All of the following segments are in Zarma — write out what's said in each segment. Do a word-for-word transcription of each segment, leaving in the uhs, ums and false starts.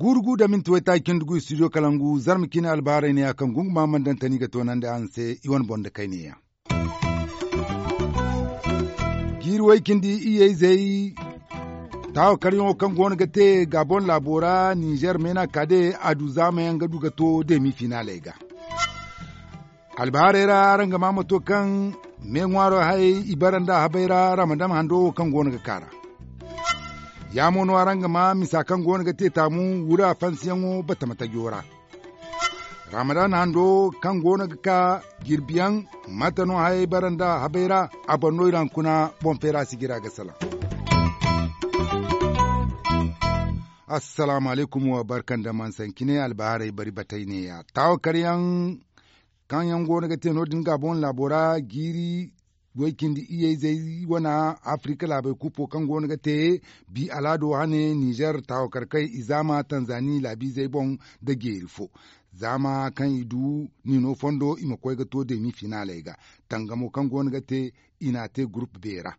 Guuru gu da minti waytaaci cindi gu studio kalangu zarma cine albaharay ne ya kaŋ gunguma mana daŋ tani ga toonandi araŋ se i wane boŋ da kayne yaŋ. Jiiri way cindi iyye izey taawakaryaŋo kaŋ go no ga te gaabon laabo ra ninzeer meena kaade a du zaamayaŋ ga du ga to deemi finaaley ga. Albahaarey ra araŋ ga maa mato kaŋ me ŋwaaro hayey i bara nda habey ra ramadam hando wo kaŋ go no ga kaa ra. Ya mo no araŋ ga maa misa kaŋ go no ga te taamu wura fansiyaŋo batama tajo ra. Ramadan hando kaŋ go no ga kaa jirbiyaŋ mate no hayey bara nda habey ra. A boŋ no iri haŋ kuna boŋ feera sijira ga salaŋ. Assalaamu alaykum wa barka nda mansancine albahaarey bari batay neeya taawakaryaŋ kaŋ yaŋ go no ga te no- din gaabon laabo ra jiiri way cindi iyye izey wana afirika laabey kuppo kaŋ go no ga te bi alaado hane nizer taawakarkey i zaama tanzani laabiizey boŋ nda jeeri fo zaama kaŋ i du nino fondo i ma koy ga to deemi finaaley ga tangamo kaŋ go no ga te i n'a te gurup beera.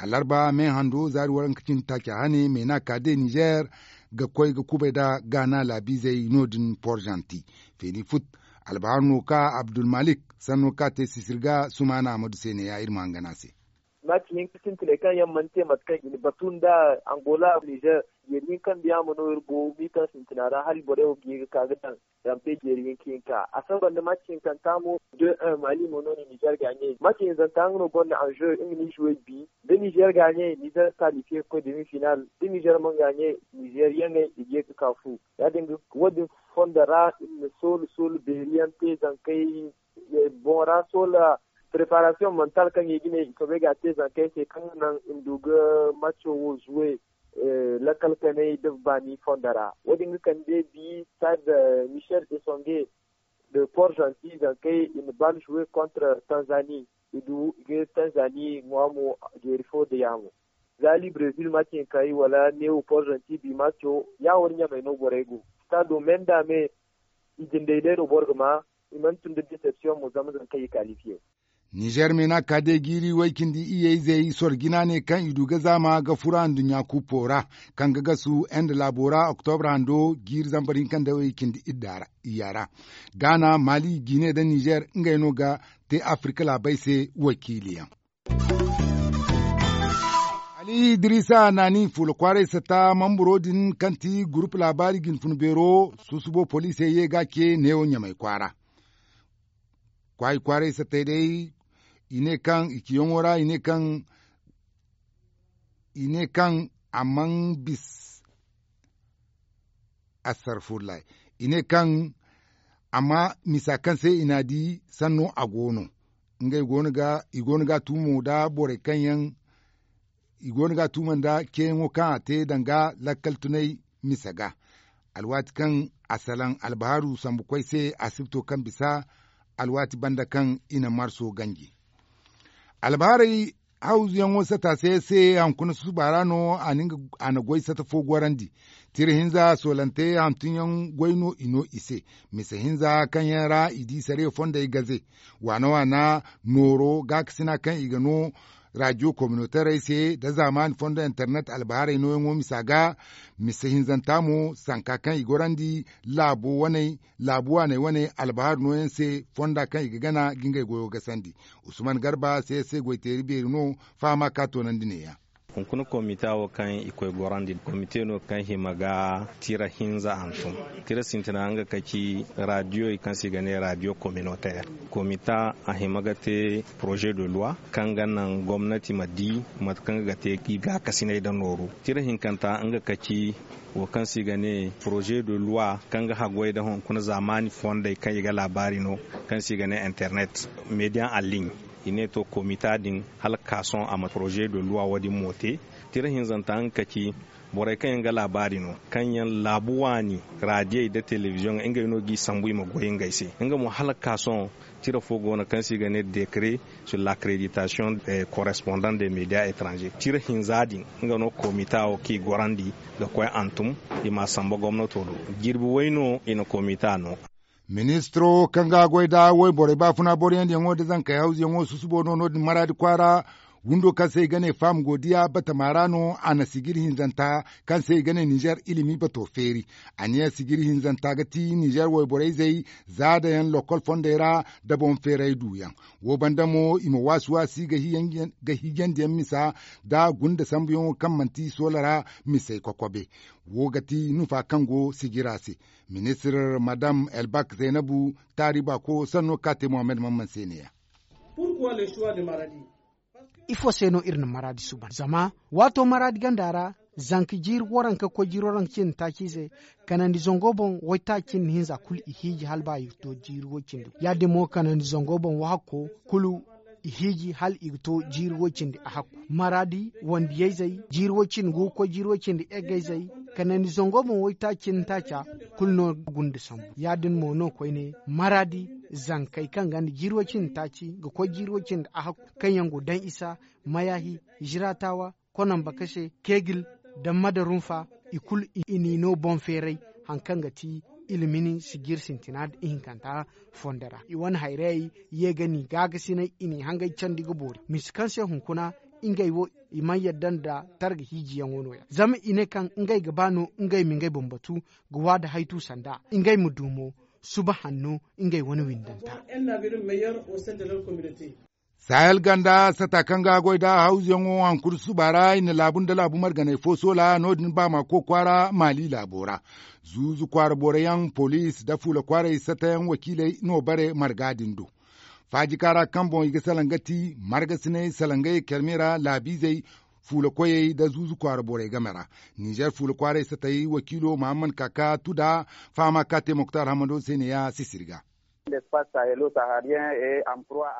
Alarba me hando zaari waranka cindi taaca hane meena kaade nizer ga koy ga kubay nda gaana laabiizey no- din porzanti feeni fut. Albahaar no ka abdulmalik sanno ka te sisir ga sumaana amadu se neeya iri ma hangan a se. Maati hinka sintiney kaŋ yaŋ mana te mate kaŋ i na batu nda angola nizer jeeri hinka nda yaamo no iri go miita sintina ra hala borey wo ga ye ga ka ga daŋ rampe jeeri hinka hinka a saba nda maati hinkanta mo. De un mali mo no na nizer gaaɲey maati hinzanta nga no gonda anze nga na ize way bi da nizer gaaɲey nizer kalifiye ga koy demi final da nizer mana gaaɲey nizer yaŋey i ga ye ga ka fu. Ya- din ga wo- din fondo ra iri na soolu soolu beeriyaŋ te zankey boŋ ra soola preparasiyoŋ mantal kaŋ i ga ne i soobay ga a te zankey se kaŋ ga naŋ i ma du ga maco wo zuwe. Lakkal kanay da baani fondo ra wo- din ga kande bi stade michel esonge de port gentil zankey i na bal zuwe contre tanzanie. I du i ga tanzanie ŋwa mo jeeri fo da yaamo. Za libreville maci hinkay wala neewo port gentil bi maco ya wo- din ɲamay no borey go stado me nda me. I jindey day no boro ga ma i mana tun da deception mo zama zama kaŋ i kalifiye. Nizer meena ka day jiiri way cindi iyye izey soro jina ne kaŋ i du ga zaama ga fura nduɲɲa kuppo ra kaŋ ga gasu ende laabo ra oktobra hando jiiri zambar hinka nda way cindi idda ra iyya ra. Gaana mali jine nda nizer ngey no ga te afirka laabey se wakiiliyaŋ. Ali idiriisa naani fuula kwaaray satta mamburo din kaŋ ti gurupu laabaari jinfuna beero susubo poliisey ye ga a ce neewo ɲamay kwaara. Kwaayi kwaaray sattey day i ne kaŋ i ciyaŋo ra i ne kaŋ i ne kaŋ a man bis. Astarfullahi i ne kaŋ amma misa kaŋ se i n'a di sanno a go no. Ngey go no ga i go no ga a tumo nda borey kaŋ yaŋ i go no ga a tumo nda ceeyaŋo kaŋ a te danga lakkal tunay misa ga. Alwaati kaŋ a salaŋ albahaaru sambu koy se asibto kaŋ bisa alwaati banda kaŋ i na marso ganji. Albahaarey hawzuyaŋo sata se se hankuna susuba ra no a na goy sata fo gorandi. Tira hinza soolante hantumyaŋ goy no i no i se. Mise hinza kaŋ yaŋ ra i di sariya fondey gaze waana waana nooro gaakasina kaŋ i ga no raadiyo kominotarey se nda zaamaani fondo internet albahaarey nooyaŋo misa ga. Mise hinzanta mo sanka kaŋ i gorandi laabo waney laabu waaney wane albahaari nooyaŋ se fonda kaŋ i ga gana ga ngey goyo gasandi. Usman garba se se goyteeri beeri no fahama ka toonandi neeya. Hunkuna komita wo kaŋ i koy gorandi komite no kaŋ hima ga tira hinza hantum. Tira sintina nga ka ci raadiyoy kaŋ se i ga ne raadiyo kominoteer. Komita a hima ga te poroze de luwa kaŋ ga naŋ gomnati ma di mate kaŋ ga te i gaakasinay nda nooru. Tira hinkanta nga ka ci wo kaŋ se i ga ne poroze de luwa kaŋ ga haggoy nda hunkuna zaamaani fondey kaŋ i ga laabaari no kaŋ se i ga ne internet mediya en ligne. I ne to komita din hala ga ka sohõ a ma poroze de luwa wo- din mo te. Tira hinzanta nga ka ci borey kaŋ yaŋ ga laabaari no kaŋ yaŋ laabu waani raadiyey nda telebiziyoŋey ngey no g'i sambu i ma goy ngey se. Nga mo hala ga ka sohõ tira fo go no kaŋ se i ga ne dekare sur la kreditasiyoŋ korespondant de mediya etranze tira hinza din. Nga no komita wo kaŋ i gorandi ga koy hantum i m'a samba gomnato do. Jirbi way no i na komita no. Ministiro kaŋ ga a goy nda wayborey baafuna boroyandiyaŋo nda zankey hawzuyaŋo susubo no no- din maraadi kwaara. Windo kaŋ se i ga ne faama go diya batama ra no a na sijir hinzanta kaŋ se i ga ne ninzeer ilimi bato feeri. A ne sijir hinzanta ga ti ninzeer wayborey zey zaada yaŋ lokol fondey ra nda boŋ feeray duuyaŋ. Wo banda mo i ma waasi waasi ga hiijandiyaŋ misa nda gunda sambuyaŋo kaŋ manti soola ra misey kokobe. Wo ga ti nufa kaŋ go sijira se. Ministir madam elbak zaynabu taari baako sanno ka te mohammed mamman se ne ya. Ifo se no iri na maraadi suuban zama waato maraadi ganda ra zanka jiiri waranka koy jiiri waranka cindi taaci se kanandi zango boŋ waytaaci cindi hinza kulu i hiiji hala ba i ga to jiiri way cindi. Ya- din mo kanandi zango boŋ wahakko kulu i hiiji hala i ga to jiiri way cindi a hakku. Maraadi wandiyayzey jiiri way cindi gu ga koy jiiri way cindi eggayzey kanandi zango boŋ waytaaci cindi taaca kulu no ga gunda sambu. Ya- din mo no koyne maraadi zankey kaŋ gonda jiiri way cindi taaci ga koy jiiri way cindi a hakku kaŋ yaŋ go daŋ isa mayahi ziraatawa konamba kase kegil da madarunfa i kulu i n'i no boŋ feeray. Hari kaŋ ga ti ilmini sijir sintina nda ihinkanta fondo ra i wane hayrayey ye ga ni gaagasinay i n'i hangay candi ga boori misi kaŋ se hunkuna ngey wo i mana yadda nda targa hiijiyaŋo no- ya zama i ne kaŋ ngey ga ba no ngey ma ngey boŋ batu ga waada haytu sanda ngey ma du mo suba hanno ngey wane windanta. Sahel ganda sata kaŋ ga a goy nda hawzuyaŋo hankuri susuba ra i na laabu nda laabu marganey fo soola no- din ba ma koy kwaara maali laabo ra. Zuuzu kwaara boro yaŋ poliisi nda fuula kwaaray sata yaŋ wakiiley no bare marga din do. Faajika ra kaŋ boŋ i ga salaŋ ga ti margasiney salaŋ ga ye care me ra laabiizey fuula koyey nda zuuzu kwaara borey game ra. Ninzeer fuula kwaaray satay wakiilo mahammad kaka tuda fahama ka te moktar hamado se ne ya sisiri ga.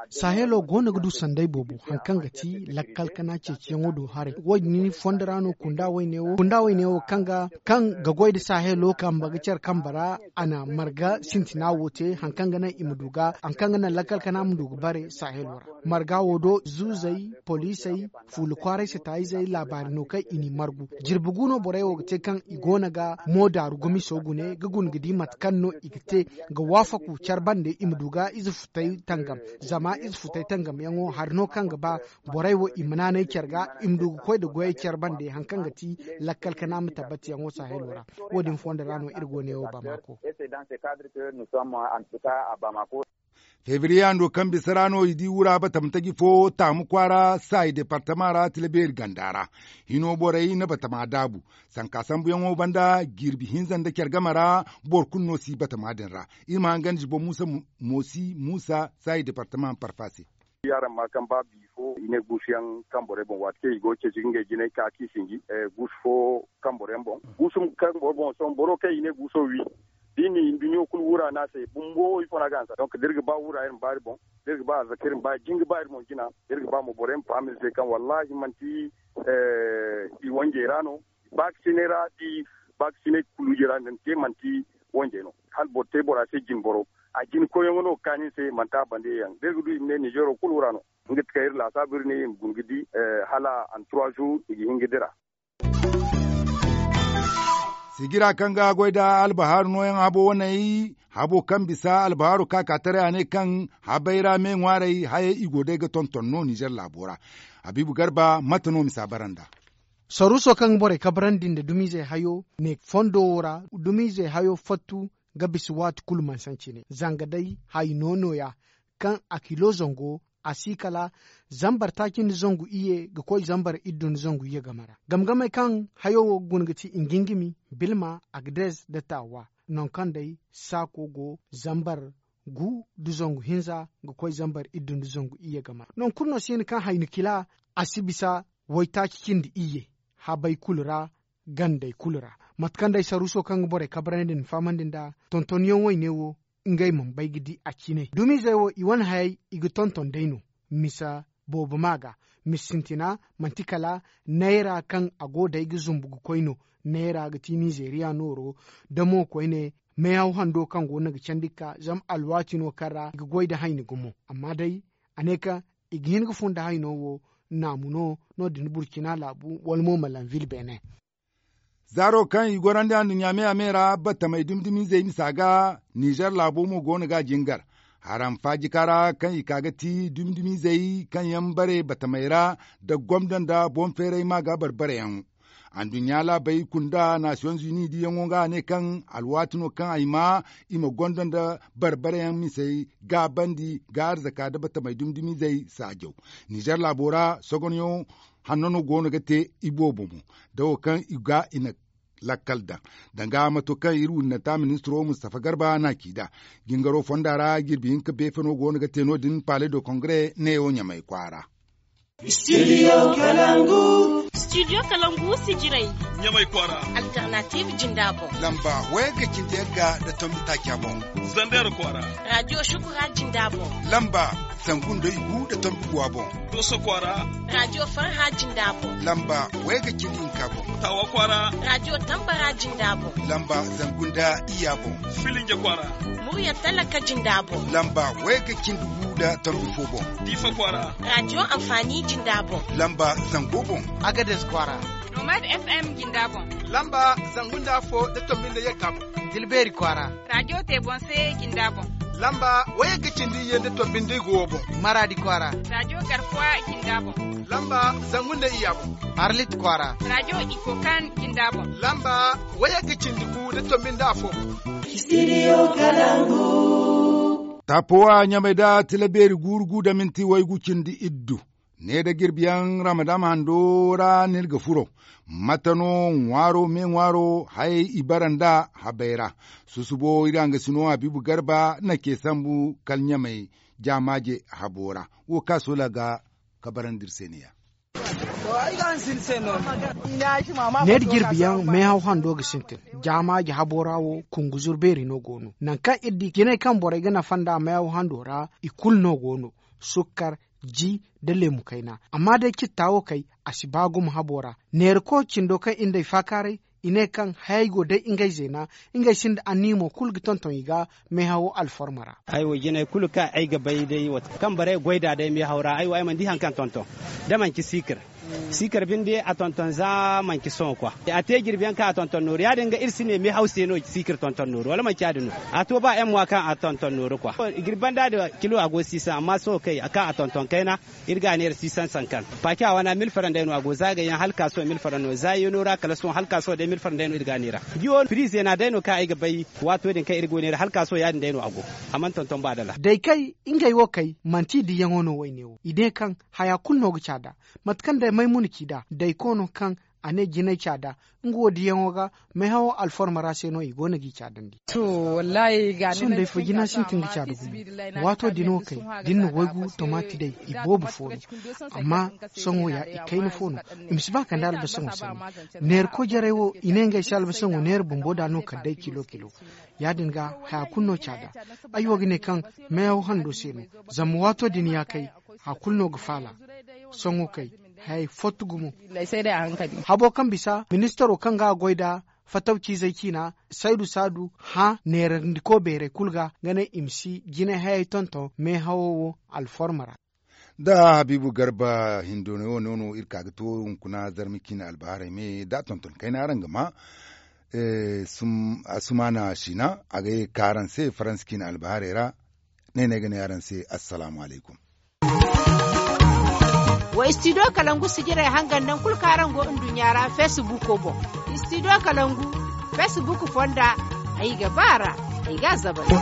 Sahelo go no ga du sanday boobo hari kaŋ ga ti lakkal kana ceeciyaŋo do haray wo- din fondo ra no kunda wayne wo kunda wayne wo kaŋ ga goy nda sahelo kambe ga care kambe ra a na marga sintina wo te hari kaŋ ga naŋ i ma du ga hari kaŋ ga naŋ lakkal kana ma du ga bare sahelo ra. Marga wo do zuuzey poliisey fuula kwaaray se taayizey laabaari no kaŋ i n'i margu jirbi gu no borey wo ga te kaŋ i go no ga mo daaru gumiso gune ga guna ga di mate kaŋ no i ga te ga waafaku care bande i ma du ga ize futay tangam. Zama ize futay tangamyaŋo hari no kaŋ ga ba borey wo i ma naanay care ga i ma du ga koy nda goyey care bande hari kaŋ ga ti lakkal kana ma tabbatiyaŋo sahelo ra. Wo- din fondo ra no iri go ne wo bamako. Febriye hando kaŋ bisa ra no i di wura batama taji fo taamu kwaara saayi departama ra tilabeeri ganda ra. Hino borey na batama daabu sanka sambuyaŋo banda jirbi hinza nda care game ra. Boro kulu no si batama din ra. Iri ma hangan jibo muusa moosi muusa saayi departama parfa se. Yaaraŋ ma kaŋ ba bi fo i ne guusuyaŋ kaŋ borey boŋ waati kaŋ i go ga ceeci ga ngey jinay ka k'i sinji guusu fo kaŋ boro yaŋ boŋ guusu kaŋ boro boŋ sohõ boro kaŋ i ne guuso wi da i na i nduɲɲo kulu wura no a se bumbo ifo no a ga hanse donk da iri ga ba wura iri ma ba iri boŋ da iri ga ba arzaka iri ma ba jin ga ba iri boŋ jina da iri ga ba mo boro yaŋ ma faham iri se kaŋ wallaahi manti i wanjey ra no. Baakasinay ra da i baakasinay kuluujey ra din te manti wanjey no hala boro te bora se jine boro a jine koyyaŋo no ga kaanu ni se manti a bande yaŋ da iri ga du i ma ne ninzeero kulu ra no. Nga ti kaŋ iri laasaabu iri ne i ma guna ga di hala an trois jours i ga hin ga dira. Sigira kaŋ ga goy nda albahaaru nooyaŋ habo waney habo kaŋ bisa albahaaru kaakaataray a ne kaŋ habay ra me ŋwaarey hayey i go day ga tonton no ninzeer laabo ra. Habiibu garba mate no misa bara nd'a? Saruuso kaŋ ga borey kabrandi nda dumiizey hayo ne fondo wo ra dumiizey hayo fattu ga bisa waati kulu mansanci ne zanga day hayo nooya kaŋ a kilo zango a si kala zambar taaci nda zangu iyye ga koy zambar iddu nda zangu iyye game ra. Game gamey kaŋ hayo wo ga guna ga ti ngingimi bilma agdes nda taawa nangu kaŋ day saako go zambar gu nda zangu hinza ga koy zambar iddu nda zangu iyye game ra nangu kulu no si hin kaŋ hayni kila a si bisa waytaaci cindi iyye habay kulu ra gandey kulu ra. Mate kaŋ day saruuso kaŋ ga borey kabrandi nda fahamandi nd'a tontonyaŋ wayne wo ngey mana bay ga di a ciinay dumiizey wo i wane hayey i ga tonton day no. Misa boobo ma ga misa sintina manti kala nayra kaŋ a go day ga zumbu ga koy no. Nayra ga ti nizeeriya nooro da mo koyne meehaw hando kaŋ go no ga candi ga ka zama alwaati no kaŋ ra i ga goy nda hayni gumo amma day a ne kaŋ i ga hin ga fun nda hayno wo naamu no no- din burcina laabu wala mo malanvil beene. Zaaro kaŋ i gorandi anduɲɲa me-a-me ra batamey dumi-dumizey misa ga, nizer laabo mo go no ga a jingar. Haram faajika ra kaŋ i ka ga ti dumi-dumizey kaŋ yaŋ bare batamey ra, nda gomdo nda boŋ feeray ma ga bare-bareyaŋ. Anduɲɲa laabey kunda nasiyoŋ zuni diyaŋo ga a ne kaŋ alwaati no kaŋ ay ma i ma gondo nda bare-bareyaŋ misey gaabandi ga arzaka nda batamey dumi-dumizey saajaw. Nizer laabo ra sogonyaŋo hanno no go no ga te iboobo mo, da wo kaŋ i ga i na lakkal daŋ. Danga mato kaŋ iri windanta ministiro mustafa garba na ci nd'a, jingaro fonda ra jirbi hinka beefe no go no ga te no- din pale do kongre neewo ɲamay kwaara. Studio kalangu. Studio kalangu si jiray. Ɲamay kwaara. Alternative jinda boŋ. Lamba wayagga cindi yagga nda tombi taaca boŋ. Zander kwaara. Radio shukura jinda boŋ. Lamba zangu nda igu nda tombi guwa boŋ. Doso kwaara. Radio farha jinda boŋ. Lamba wayagga cindi hinka boŋ. Tawa kwaara. Radio tambara jinda boŋ. Lamba zangu nda iyya boŋ. Filinja kwaara. Murya talaka jinda boŋ. Lamba wayagga cindi gu nda tombi fo boŋ. Diifa kwaara. Radio anfaani jinda boŋ. Lamba zango boŋ. Agades kwaara. Nomad fm jinda boŋ. Lamba zangu nda afo nda tombi nda yagga boŋ. Tilbeeri kwaara. Radio te boŋ se jinda boŋ. Lamba wayagga cindi iyye nda tombi nda igu wo boŋ. Maraadi kwaara. Radio garkuwa jinda boŋ. Lamba zangu nda iyya boŋ. Arlit kwaara. Radio ikokan jinda boŋ. Lamba wayagga cindi gu nda tombi nda afo boŋ. Studio kalangu. Taapowa ɲamay da tila beeri guuru gu nda minti waygu cindi iddu. Ne da jirbiyaŋ ramadama hando ra no iri ga furo. Mate no ŋwaaro me ŋwaaro hayey i bara nda habey ra? Susubo iri hangasino habiibu garba na ce sambu kala ɲamay jaamaaje habo ra. Wo kaŋ a soola ga kabarandi iri se ne- ya. Neera jirbiyaŋ meehaw hando ga sintin. Jaamaaji habo ra wo kunguzur beeri no go no nangu kaŋ iri di jinay kaŋ borey ga nafa nd'a meehaw hando ra i kulu no go no. Sukkar, ji, nda leemu kayna. Amma day citta wo kay a si ba gumo habo ra. Neera ko cindo kaŋ iri nd'ey faakaaray i ne kaŋ hayey go day ngey zeena. Ngey sinda anniya mo kulu ga tonton i ga meehawo alforma ra. Ay wo jinay kulu kaŋ ay ga bay day wo kaŋ borey goy nd'a day meehaw ra ay wo ay mana di hari kaŋ tonton da manci siikir. Siikir binde a tonton za manci sohõ kwa. A te jirbi yaŋ kaŋ a tonton nooru ya- din ga iri si ne meehaw se no siikir tonton nooru wala manci ya- din no? A to ba yaŋ mo a kaŋ a tonton nooru kwa. Jirbi banda din kilo a go siisaŋ amma sohõ kay kaŋ a tonton kayna. Iri ga a neera siisaŋ sankan paaci a wana mil faran day no a go zaagay yaŋ hala ka sohõ mil faran no zaayeeno ra kala sohõ hala ka sohõ day mil faran day no iri ga a neera. Jiwo piri zeena day no kaŋ ay ga bay. Waato din kaŋ iri go neera hala ka sohõ ya- din day no a go. A mana tonton ba dala. Day kay ngey wo kay manti diyaŋo no wayne wo i ne kaŋ haya kulu no ga caada. Mate kaŋ day maymuna ci nd'a day koono kaŋ a ne jinay caada. Nga wo diyaŋo ga meehawo alforma ra se no i go no g'i caadandi. Sohõ day fo jina sintin ga caada gumo. Waato din wo kay da ni na waygu tomaati day i boobo fo no. Amma sohõ ya i kayna fo no. I ma si ba kande albasaŋo sanni. Neera koy jarey wo i ne ngey se albasaŋo neera bumbo nd'a no kala day kilo kilo. Ya- din ga haya kulu no caada. Ay wo ga ne kaŋ meehaw hando se no. Zama waato din ya kay haya kulu no ga faala. Sohõ kay hayey fottu gumo. Habo kaŋ bisa ministaro kaŋ ga a goy nd'a fatawciizey ciina saydu saadu hã neerandiko beerey kulu ga ga ne i ma si jinay hayey tonton meehawo wo alforma ra. Da habiibu garba hindo no wo no iri ka ga to hunkuna zarma ciine albahaarey me da a tonton kayna araŋ ga ma. Asumaana siina a ga ye ga ka araŋ se faransa ciine albahaarey ra. Ne no ay ga ne araŋ se assalaamu alaykum. Wa istidiyo kalangu sijirey hangan naŋ kulu kaŋ araŋ go nduɲɲa ra feesibuuko boŋ. Istidiyo kalangu feesibuuku fonda ay ga ba a ra. Ay ga a zabari.